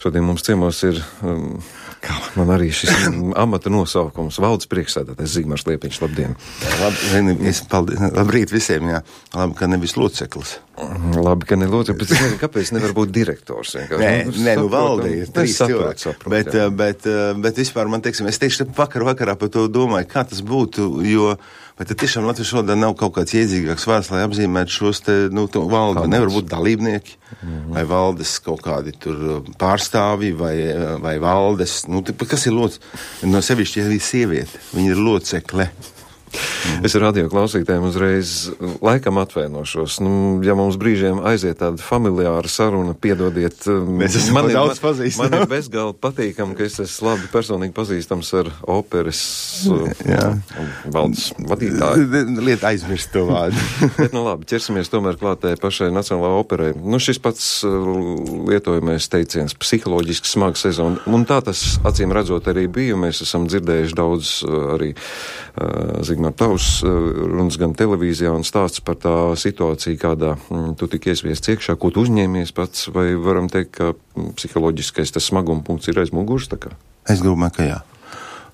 Šodien mums ciemos ir, kā man arī šis amata nosaukums, valdes priekšsēdētājs Zigmārs Liepiņš. Labdien! Labrīt visiem, jā. Labi, ka nevis loceklis. Labi, ka ne loceklis, bet es nezinu, kāpēc nevar būt direktors. Nē, valde ir 3 cilvēki. Bet vispār man, teiksim, es tieši vakarā par to domāju, kā tas būtu, jo vai tad tiešām Latvijas valodā nav kaut kāds iedzīgāks vārds, lai apzīmētu šos te, valdi. Nevar būt dalībnieki, vai valdes kaut kādi tur pārstāvi, vai valdes, kas ir no sevišķi, ja ir sieviete, viņa ir locekle. Es ar radio klausītājiem uzreiz laikam atvainošos. Ja mums brīžiem aiziet tāda familiāra saruna, piedodiet, man ir bezgalīgi patīkam, ka es esmu labi personīgi pazīstams ar operas valdes vadītāju. Lieta aizmirst to vārdu. Bet, labi, ķersimies tomēr klātē pašai Nacionālajai operai. Šis pats lietojamais teiciens psiholoģiski smaga sezona, un tā tas acīm redzot arī bija. Mēs esam dzirdējuši daudz arī Zigmār tavs runas gan televīzijā un stāsts par tā situāciju, kādā tu tik iesviests iekšā, ko tu uzņēmies pats, vai varam teikt, ka psiholoģiskais tas smaguma punkts ir aiz muguras, tā kā? Es domāju, ka jā.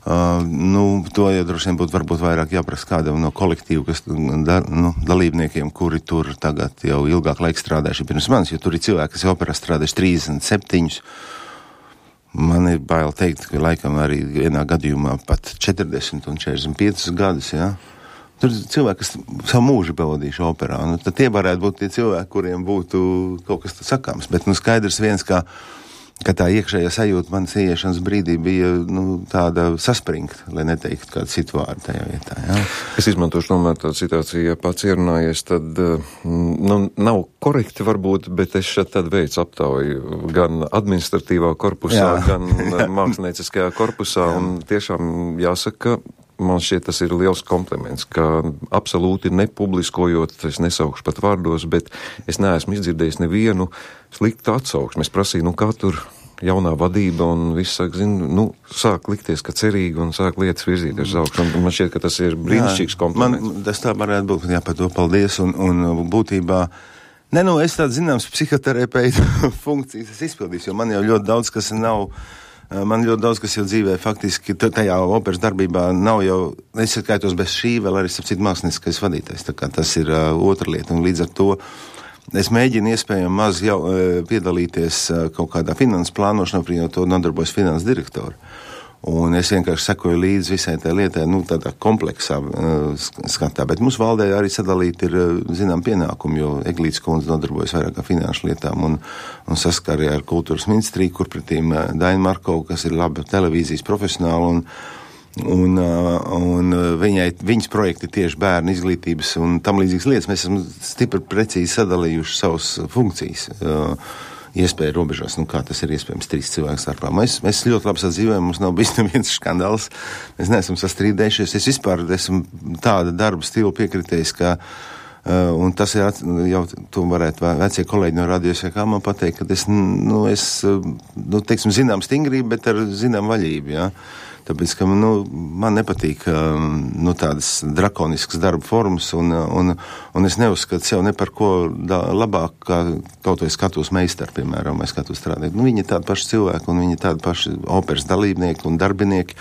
To jau droši vien būtu varbūt vairāk jāprasa kādam no kolektīvu, kas dalībniekiem, kuri tur tagad jau ilgāk laika strādājuši pirms manis, jo tur ir cilvēki, kas operā strādājuši 37. Man ir bail teikt, ka laikam arī vienā gadījumā pat 40 un 45 gadus, jā. Tur ir cilvēki, kas savu mūžu pavadījuši operā. Tad tie varētu būt tie cilvēki, kuriem būtu kaut kas sakāms. Bet skaidrs viens, ka tā iekšējā sajūta manas ieiešanas brīdī bija tāda saspringta, lai neteiktu kādu citu vārdu tajā vietā. Jā. Es izmantošu tomēr tādu situāciju, ja pats ierunājies, tad nav korekti varbūt, bet es šeit tad veicu aptauju gan administratīvā korpusā, gan mākslinieckajā korpusā, un tiešām jāsaka, man šķiet, tas ir liels kompliments, ka absolūti nepubliskojot, es nesaukšu pat vārdos, bet es neesmu izdzirdējis nevienu sliktu atsauksmi. Es prasīju, kā tur jaunā vadība un viss sāk, sāk likties, ka cerīgi un sāk lietas virzīties uz augšu. Man šķiet, ka tas ir brīnišķīgs kompliments. Tas tā varētu būt, jā, par to paldies, un būtībā, es tāds zināms psihoterapeita funkcijas es izpildīšu, jo man jau ļoti daudz, kas nav. Man ļoti daudz, kas jau dzīvē faktiski tajā operas darbībā nav jau, es skaitos bez šī, vēl arī sapcīt mākslinieckais vadītājs, tā kā tas ir otra lieta, un līdz ar to es mēģinu iespējami maz jau piedalīties kaut kādā finanses plānošanā, jo to nodarbojas finanses direktori. Un es vienkārši sekoju līdzi visai tai lietai, tādā kompleksā skatā, bet mūsu valdē arī sadalīti ir, zinām, pienākumi, jo Eglītes kundze nodarbojas vairāk ar finanšu lietām un saskarē ar kultūras ministriju, kur pretīm Daina Markova, kas ir laba televīzijas profesionāla, un viņas projekti tieši bērnu izglītības un tam līdzīgas lietas. Mēs esam stipri precīzi sadalījuši savas funkcijas, iespēja robežās, kā tas ir iespējams 3 cilvēku starpā. Mēs ļoti labi sadzīvojam, mums nav bijis neviens skandāls, mēs neesam sastrīdējušies, es vispār esmu tāda darba stila piekritējis, ka, un tas ir, jau tu varētu vecie kolēģi no radios, kā man pateikt, ka teiksim, zinām stingrību, bet ar zinām vaļību, jā. Tāpēc, ka man nepatīk tādas drakoniskas darba formas, un es neuzskatu sev ne par ko labāk, kā kaut vai skatos meistaru, piemēram, vai skatos strādāt. Viņi ir tādi paši cilvēki, un viņi ir tādi paši operas dalībnieki un darbinieki,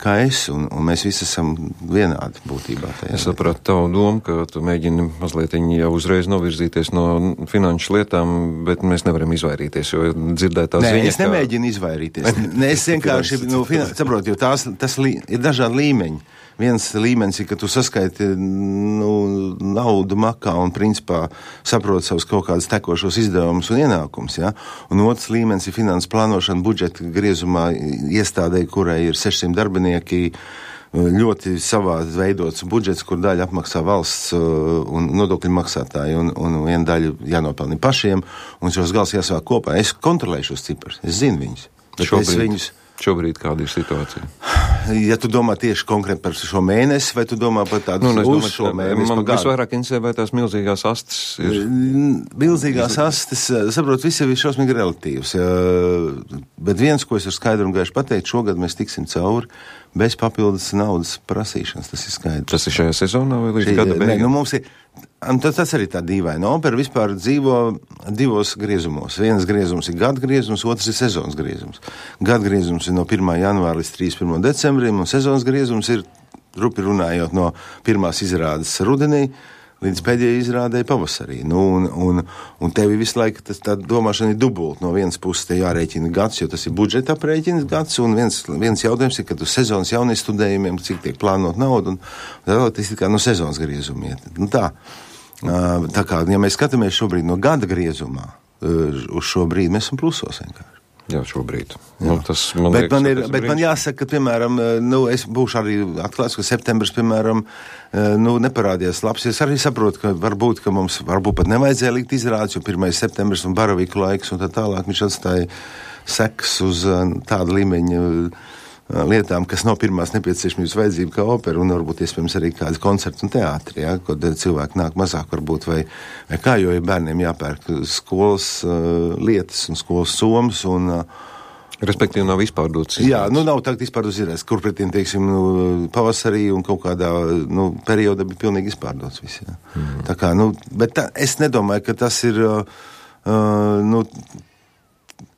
kā es, un mēs visi esam vienādi būtībā. Es sapratu tavu domu, ka tu mēģini mazliet jau uzreiz novirzīties no finanšu lietām, bet mēs nevaram izvairīties, jo dzirdētā ziņa... Nē, es nemēģinu izvairīties. Es vienkārši, saprotu, jo tas ir dažādi līmeņi. Viens līmenis ir, ka tu saskaiti naudu makā un principā saproti savus kaut kādus tekošos izdevumus un ienākumus, ja? Un otrs līmenis ir finanses plānošana budžeta griezumā iestādē, kurai ir 600 darbinieki, ļoti savādi veidots budžets, kur daļa apmaksā valsts un nodokļu maksātāji, un viena daļa jānopelni pašiem, un šos gals jāsavāk kopā. Es kontrolēju šos ciparus, es zinu viņus. Šobrīd kāda ir situācija? Ja tu domā tieši konkrēti par šo mēnesi, vai tu domā par tādu uz šo mēnesi? Man visvairāk interesē, vai tās milzīgās astes ir? Milzīgās astes, saprot, viss jau ir šausmīgi relatīvs. Bet viens, ko es ar skaidru un gaišu pateikt, šogad mēs tiksim cauri bez papildus naudas prasīšanas, tas ir skaidrs. Tas ir šajā sezonā vai līdz gada beigām? Mums ir Tas arī tā dīvaina. Opera vispār dzīvo divos griezumos. Viens griezums ir gada griezums, otrs ir sezonas griezums. Gada griezums ir no 1. janvāra līdz 31. decembrim, un sezonas griezums ir, rupi runājot, no pirmās izrādes rudenī līdz pēdējai izrādē pavasarī. Un tevi visu laiku tā domāšana ir dubult. No vienas puses te jārēķina gads, jo tas ir budžeta aprēķins gads, un viens jautājums ir, kad uz sezonas jaunie studējumiem, cik tiek plānot naudu, un tas ir kā no sezonas griezuma iet. Tā kā, ja mēs skatāmies šobrīd no gada griezumā, uz šo brīdi mēs esam plusos vienkārši. Jā, šobrīd. Jā. Man jāsaka, ka, piemēram, es būšu arī atklāts, ka septembris, piemēram, neparādījās labs. Es arī saprotu, ka varbūt mums pat nevajadzēja likt izrādes, jo 1. septembris un baraviku laiks un tā tālāk viņš atstāja sekas uz tādu līmeņu lietām, kas nav pirmās nepieciešamības vajadzība kā opera, un varbūt iespējams arī kāds koncerts un teātri, ja, kad cilvēki nāk mazāk varbūt, vai kā, jo ir bērniem jāpērk skolas lietas un skolas somas, un respektīvi nav izpārdotas. Jā, nav tagad izpārdotas izrādes, kur pretiem, teiksim, pavasarī un kaut kādā, periodā bija pilnīgi izpārdotas viss, jā. Tā kā, bet es nedomāju, ka tas ir,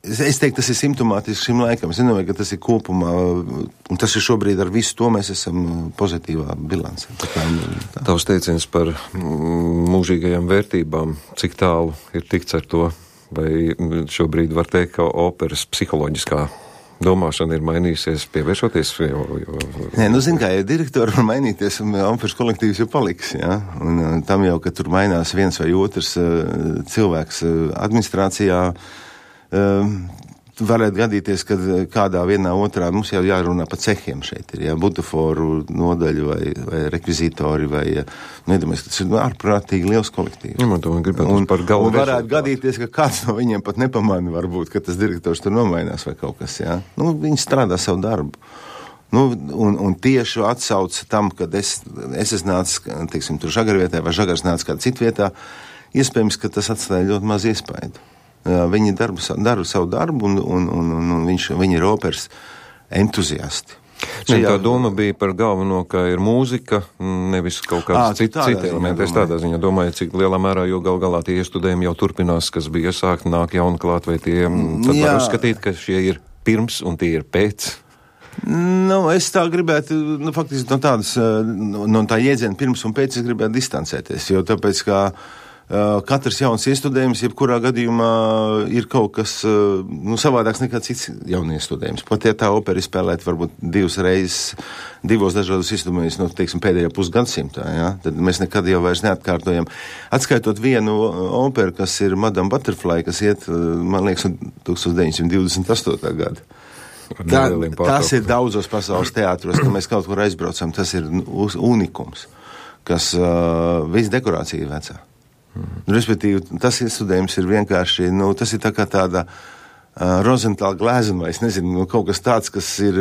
es teiktu, tas ir simptomātiski šim laikam. Es nedomāju, ka tas ir kopumā, un tas ir šobrīd ar visu to mēs esam pozitīvā bilancē. Tavs teiciens par mūžīgajām vērtībām, cik tālu ir tikts ar to, vai šobrīd var teikt, ka operas psiholoģiskā domāšana ir mainījusies, pievēršoties? Nē, zin kā, ja direktori var mainīties, un operas kolektīvs jau paliks, jā, un tam jau, ka tur mainās viens vai otrs cilvēks administrācijā, varētu gadīties, ka kādā vienā otrā mums jau jārunā pa cehiem šeit ir, butaforu nodaļu vai rekvizītori vai, nedomājies, ka tas ir ārprātīgi liels kolektīvs. Un varētu gadīties, ka kāds no viņiem pat nepamana varbūt, ka tas direktors tur nomainās vai kaut kas, jā. Viņi strādā savu darbu. Un tieši atsauca tam, kad es esmu nācis, teiksim, tur žagarvietā vai žagars nācis kādā citvietā, iespējams, ka tas atstāja ļoti maz iespaidu. Viņi dara savu darbu, un viņi ir operas entuziasti. Tā doma bija par galveno, ka ir mūzika, nevis kaut kāds citi elementi. Es tādā ziņā domāju, cik lielā mērā, jo gal galā tie studējumi jau turpinās, kas bija iesākti, nāk jauni klāt, vai tie, tad var uzskatīt, ka šie ir pirms un tie ir pēc. Es tā gribētu, faktiski no tā jēdziena pirms un pēc es gribētu distancēties, jo tāpēc, ka katrs jauns iestudējums, jebkurā gadījumā ir kaut kas savādāks nekā cits jauniestudējums. Pat ja tā opera spēlēt varbūt divas reizes, divos dažādos iestudējumus, teiksim, pēdējā pusgadsimtā, ja? Tad mēs nekad jau vairs neatkārtojam. Atskaitot vienu operu, kas ir Madame Butterfly, kas iet, man liekas, 1928. gada. Tas ir daudzos pasaules teātros, ka mēs kaut kur aizbraucam, tas ir unikums, kas viss dekorācija ir vecā. Respektīvi, tas iestudējums ir vienkārši, tas ir tā kā tāda Rozentāla glēzuma, vai es nezinu, kaut kas tāds, kas ir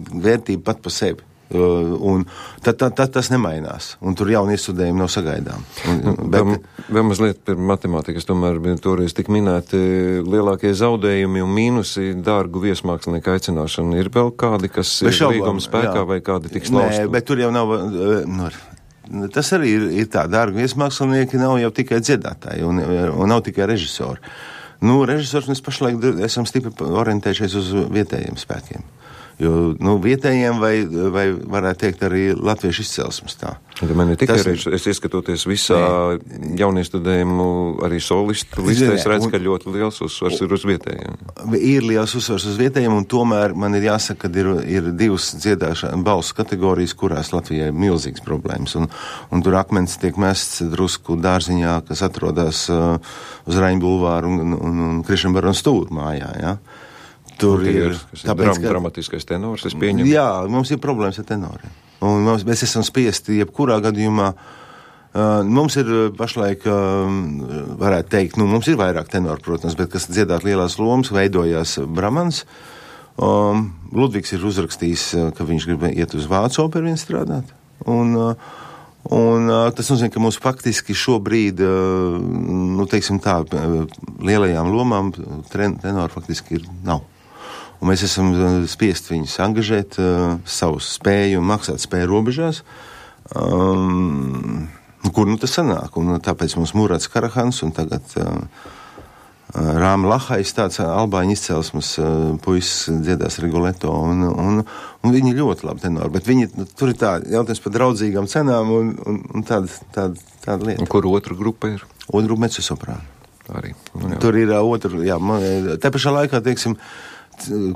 vērtība pat pa sevi. Un tad tas nemainās, un tur jauni iestudējumi nav sagaidām. Vēl mazliet par matemātiku, es tomēr toreiz tik minēti lielākie zaudējumi un mīnusi dārgu viesmākslinieku aicināšanu. Ir vēl kādi, kas ir līguma spēkā, vai kādi tiks lausti? Nē, bet tur jau nav... Tas arī ir tā, dārgi viesmākslinieki nav jau tikai dziedātāji un nav tikai režisori. Režisors mēs pašlaik esam stipri orientējušies uz vietējiem spēkiem. Jo, vietējiem vai varētu teikt arī latviešu izcelsmes tā. Man ir tikai es ieskatoties visā jauniestudējumu arī solistu listē, es redzu, ka ļoti liels uzsvars ir uz vietējiem. Ir liels uzsvars uz vietējiem, un tomēr man ir jāsaka, ka ir divas dziedāšanas balsu kategorijas, kurās Latvijai ir milzīgas problēmas, un tur akmens tiek mests drusku dārziņā, kas atrodas uz Raņu bulvāru un Krišņa barona stūra mājā, jā. Tur ir dramatiskais tenors, es pieņemu. Jā, mums ir problēmas ar tenoriem. Un mēs esam spiesti, jebkurā gadījumā, mums ir pašlaik, varētu teikt, mums ir vairāk tenoru, protams, bet kas dziedāt lielās lomas, veidojās Bramans. Ludvigs ir uzrakstījis, ka viņš grib iet uz Vācu operu vien strādāt. Un tas nozīmē, ka mums faktiski šobrīd, teiksim tā, lielajām lomām tenoru faktiski nav. Un mēs esam spiest viņus angažēt savu spēju un maksāt spēju robežās. Kur tas sanāk? Un tāpēc mums Murats Karahans un tagad Rāma Lahais, tāds albāņu izcelsmes puisis dziedās Rigoletto, un viņi ļoti labi tenori, bet viņi, tur ir tā jautājums par draudzīgām cenām un tāda lieta. Un kur otra grupa ir? Otra grupa mezzosoprāna. Arī. Tur ir otra, tā pašā laikā, teiksim,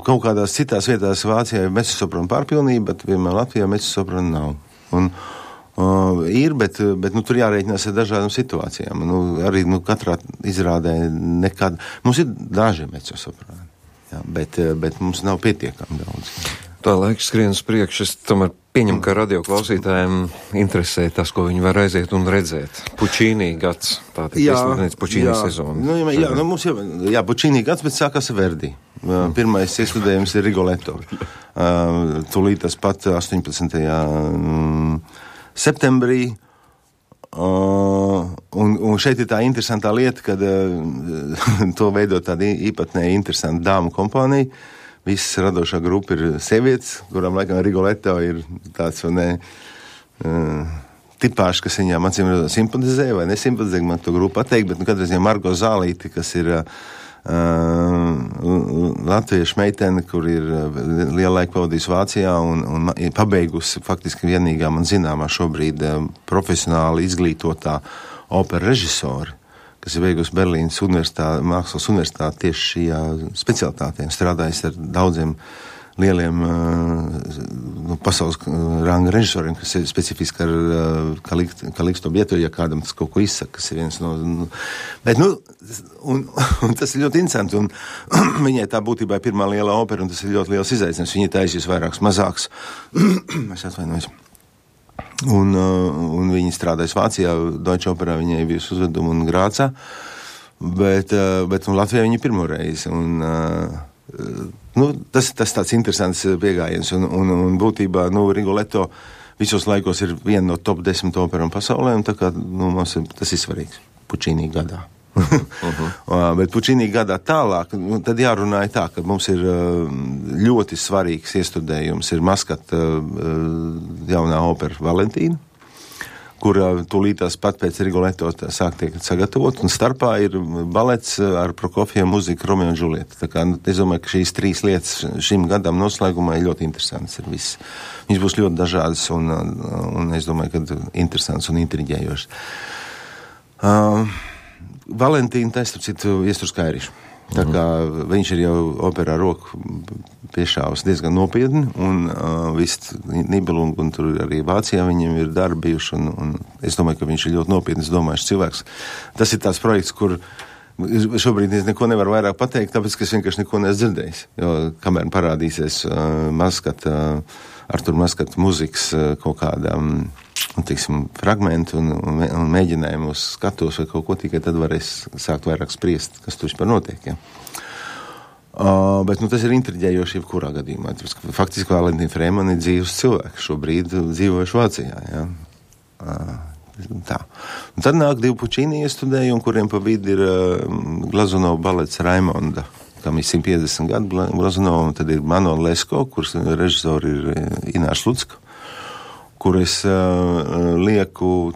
kaut kādās citās vietās Vācijā ir mezzosoprāna pārpilnība, bet vienmēr Latvijā mezzosoprāna nav. Un ir, bet tur jārēķinās ar dažādām situācijām. Arī katrā izrādē nekad. Mums ir daži mezzosoprāni, bet mums nav pietiekami daudz. Tā laiks skrien uz priekšu, es tomēr pieņemu, ka radioklausītājiem interesē tas, ko viņi var aiziet un redzēt. Pučīnī gads, tā tik izsludināts Pučīnī sezona. Mums jau Pučīnī gads, bet sākās Verdi. Pirmais iestudējums ir Rigoletto. Tūlīt tas pat 18. septembrī. Un šeit ir tā interesantā lieta, kad to veido tāda īpatnēja interesanta dāmu kompānija. Visas radošā grupa ir sievietes, kurām laikam Rigoletto ir tāds tipāšs, kas viņām acīm simpatizē vai nesimpatizē, man to grupu pateikt, bet katrā ziņā Margo Zālīti, kas ir latviešu meitene, kur ir lielu laiku pavadījusi Vācijā un pabeigusi faktiski vienīgā man zināmā šobrīd profesionāli izglītotā opera režisori, kas ir beigusi Berlīnas mākslas universitāti tieši šajā specialitātē, strādājis ar daudziem lieliem pasaules ranga režisoriem, kas ir specifiski ar Kaliksto Bietu, ja kādam tas kaut ko izsaka, kas ir viens no... Bet, un tas ir ļoti interesanti, un viņai tā būtībā ir pirmā liela opera, un tas ir ļoti liels izaicinājums. Viņa taisīs vairāks mazāks. Es atvainojos. Un viņi strādājas Vācijā, Deutsche Operā viņai bija uzveduma un Grācā, bet Latvijā viņa pirmo reizi. Tas tāds interesants piegājiens, un būtībā, Rigoletto visos laikos ir viena no top 10 operām pasaulē, un tā kā, mums tas ir svarīgs Pučīnī gadā. Bet Pučīnī gadā tālāk, tad jārunāja tā, ka mums ir ļoti svarīgs iestudējums, ir Maskata jaunā opera Valentīna, kur tūlītās pat pēc Rigoletto sāk tiek sagatavot, un starpā ir balets ar Prokofjevu muziku Romeo un Džulieta. Tā kā es domāju, ka šīs 3 lietas šim gadam noslēgumā ir ļoti interesants ir viss. Viņas būs ļoti dažādas un es domāju, ka interesants un intriģējošs. Valentīna taisa, citu, iestur Skairišu. Tā kā viņš ir jau operā roku piešāvis diezgan nopietni, un viss Nibelung, un tur arī Vācijā viņiem ir darbi bijuši, un es domāju, ka viņš ir ļoti nopietnis domājuši cilvēks. Tas ir tāds projekts, kur šobrīd es neko nevaru vairāk pateikt, tāpēc, ka es vienkārši neko neesmu dzirdējis, jo kamēr parādīsies Artur Maskata muzikas kaut kādām fragmenti un mēģinājumu uz skatos vai kaut ko, tikai tad varēs sākt vairāk spriest, kas tur vispār notiek, ja. Bet tas ir intriģējoši jebkurā gadījumā. Faktiski Valentīna Freiman ir dzīves cilvēks, šobrīd dzīvojuši Vācijā, ja. Tā. Un tad nāk 2 Pučīnī iestudējumi, kuriem pa vidu ir Glazunova balets Raimonda, kam ir 150 gadu Glazunova, un tad ir Manuel Lesko, kurš režisori ir Inārs Lucka, kur es lieku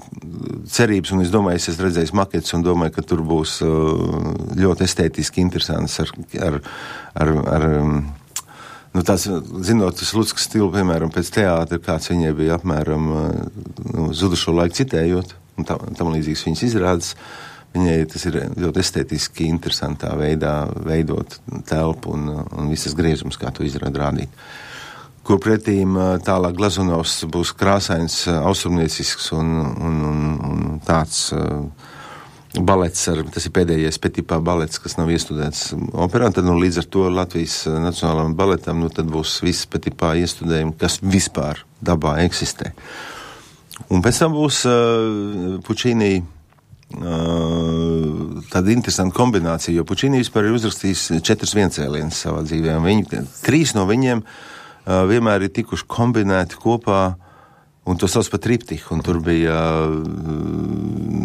cerības, un es domāju, es redzēju maketus un domāju, ka tur būs ļoti estētiski interesants ar tāds, zinot, tas Luckas stilu, piemēram, pēc teātra, kāds viņai bija apmēram zudušo laiku citējot, un tam līdzīgs viņas izrādes, viņai tas ir ļoti estētiski interesantā veidā veidot telpu un visas griezums, kā to izrāda rādīt. Kur pretīm tālāk Glazunovs būs krāsains, austrumniecisks un tāds balets, tas ir pēdējais Petipā balets, kas nav iestudēts operā, tad līdz ar to Latvijas nacionālajam baletam, tad būs viss Petipā iestudējumi, kas vispār dabā eksistē. Un pēc tam būs Pučīnī tāda interesanta kombinācija, jo Pučīnī vispār ir uzrakstījis 4 viencēlienus savā dzīvē, un 3 no viņiem vienmēr ir tikuši kombinēti kopā, un to sauc par triptiku, un tur bija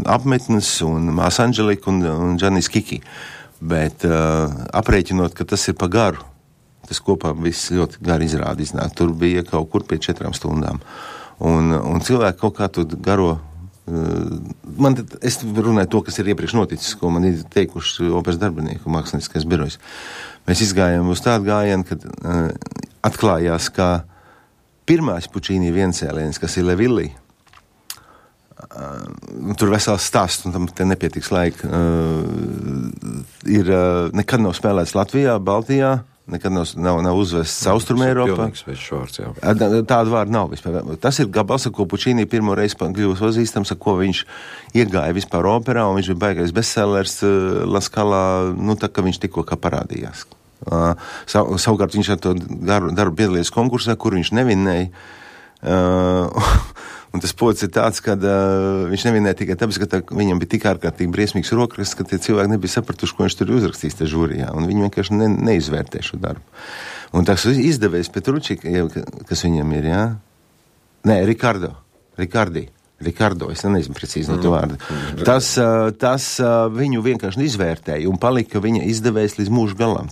apmetnes, un Māsa Anželika, un Džanis Kiki. Bet aprēķinot, ka tas ir pa garu, tas kopā viss ļoti gari izrādi iznāk. Tur bija kaut kur pie 4 stundām. Un cilvēki kaut kā to garo Es runāju to, kas ir iepriekš noticis, ko man ir teikuši operas darbinieku mākslinieckais birojs. Mēs izgājām uz tādu gājienu, kad atklājās, ka pirmais Pučīnī viencēliens, kas ir Levilli, tur vesels stāsts, un tam te nepietiks laika, ir nekad nav spēlēts Latvijā, Baltijā, nekad nav uzvests Austrumē Eiropā. Tāda vārda nav vispār. Tas ir gabals, ar ko Pučīnī pirmo reizi kļuvis pazīstams, ar ko viņš iegāja vispār operā, un viņš bija baigais bestsellers La Scalā, tā kā viņš tikko kā parādījās. Savukārt viņš ar to darbu piedalījās konkursā, kur viņš nevinēja. Un tas pods ir tāds, ka viņš nevinēja tikai tāpēc, ka viņam bija tik ārkārtīgi briesmīgs rokraksts, ka tie cilvēki nebija sapratuši, ko viņš tur uzrakstīs te žūrijā, un viņi vienkārši neizvērtē šo darbu. Un tas izdevējs Petrucci, kas viņam ir, jā? Nē, Ricardo, es nezinu precīzi no to vārdu. Tas viņu vienkārši izvērtēja un palika viņa izdevējs līdz mūža galam.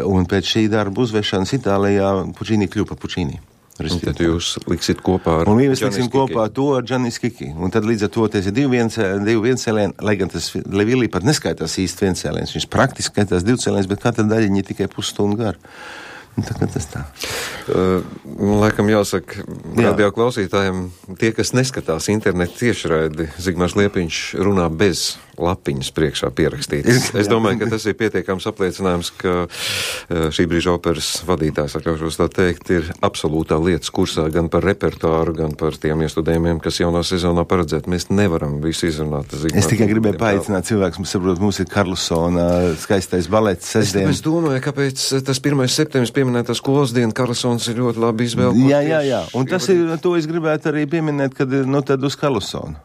Un pēc šī darba uzvešanas Itālijā Pučīnī kļuva par Pučīnī. Un tad jūs liksit kopā ar un mēs liksim kopā to ar Džanis Kiki. Un tad līdz ar to tas ir divi viencēlieni, lai gan tas Levilli pat neskaitās īsti viencēliens. Viņš praktiski skaitās divcēliens, bet katra daļiņa ir tikai pusstundu gara. Tā kā tas tā. Laikam jāsaka, radio klausītājiem, tie, kas neskatās internetu tiešraidi, Zigmārs Liepiņš runā bez lapiņas priekšā pierakstītas. Es domāju, ka tas ir pietiekams apliecinājums, ka šī brīža operas vadītājs, atļaušos tā teikt, ir absolūtā lietas kursā gan par repertuāru, gan par tiem iestudējumiem, kas jaunā sezonā paredzēt. Mēs nevaram visu izrunāt. Es tikai gribēju paaicināt cilvēkus, mums ir Karlsona skaistais balets sestdien. Es domāju, kāpēc tas 1. septembris pieminētā skolas diena Karlsons ir ļoti labi izvēlēts. Jā. Un tas ir, to es gribētu arī pieminēt, kad, tad uz Karlsonu.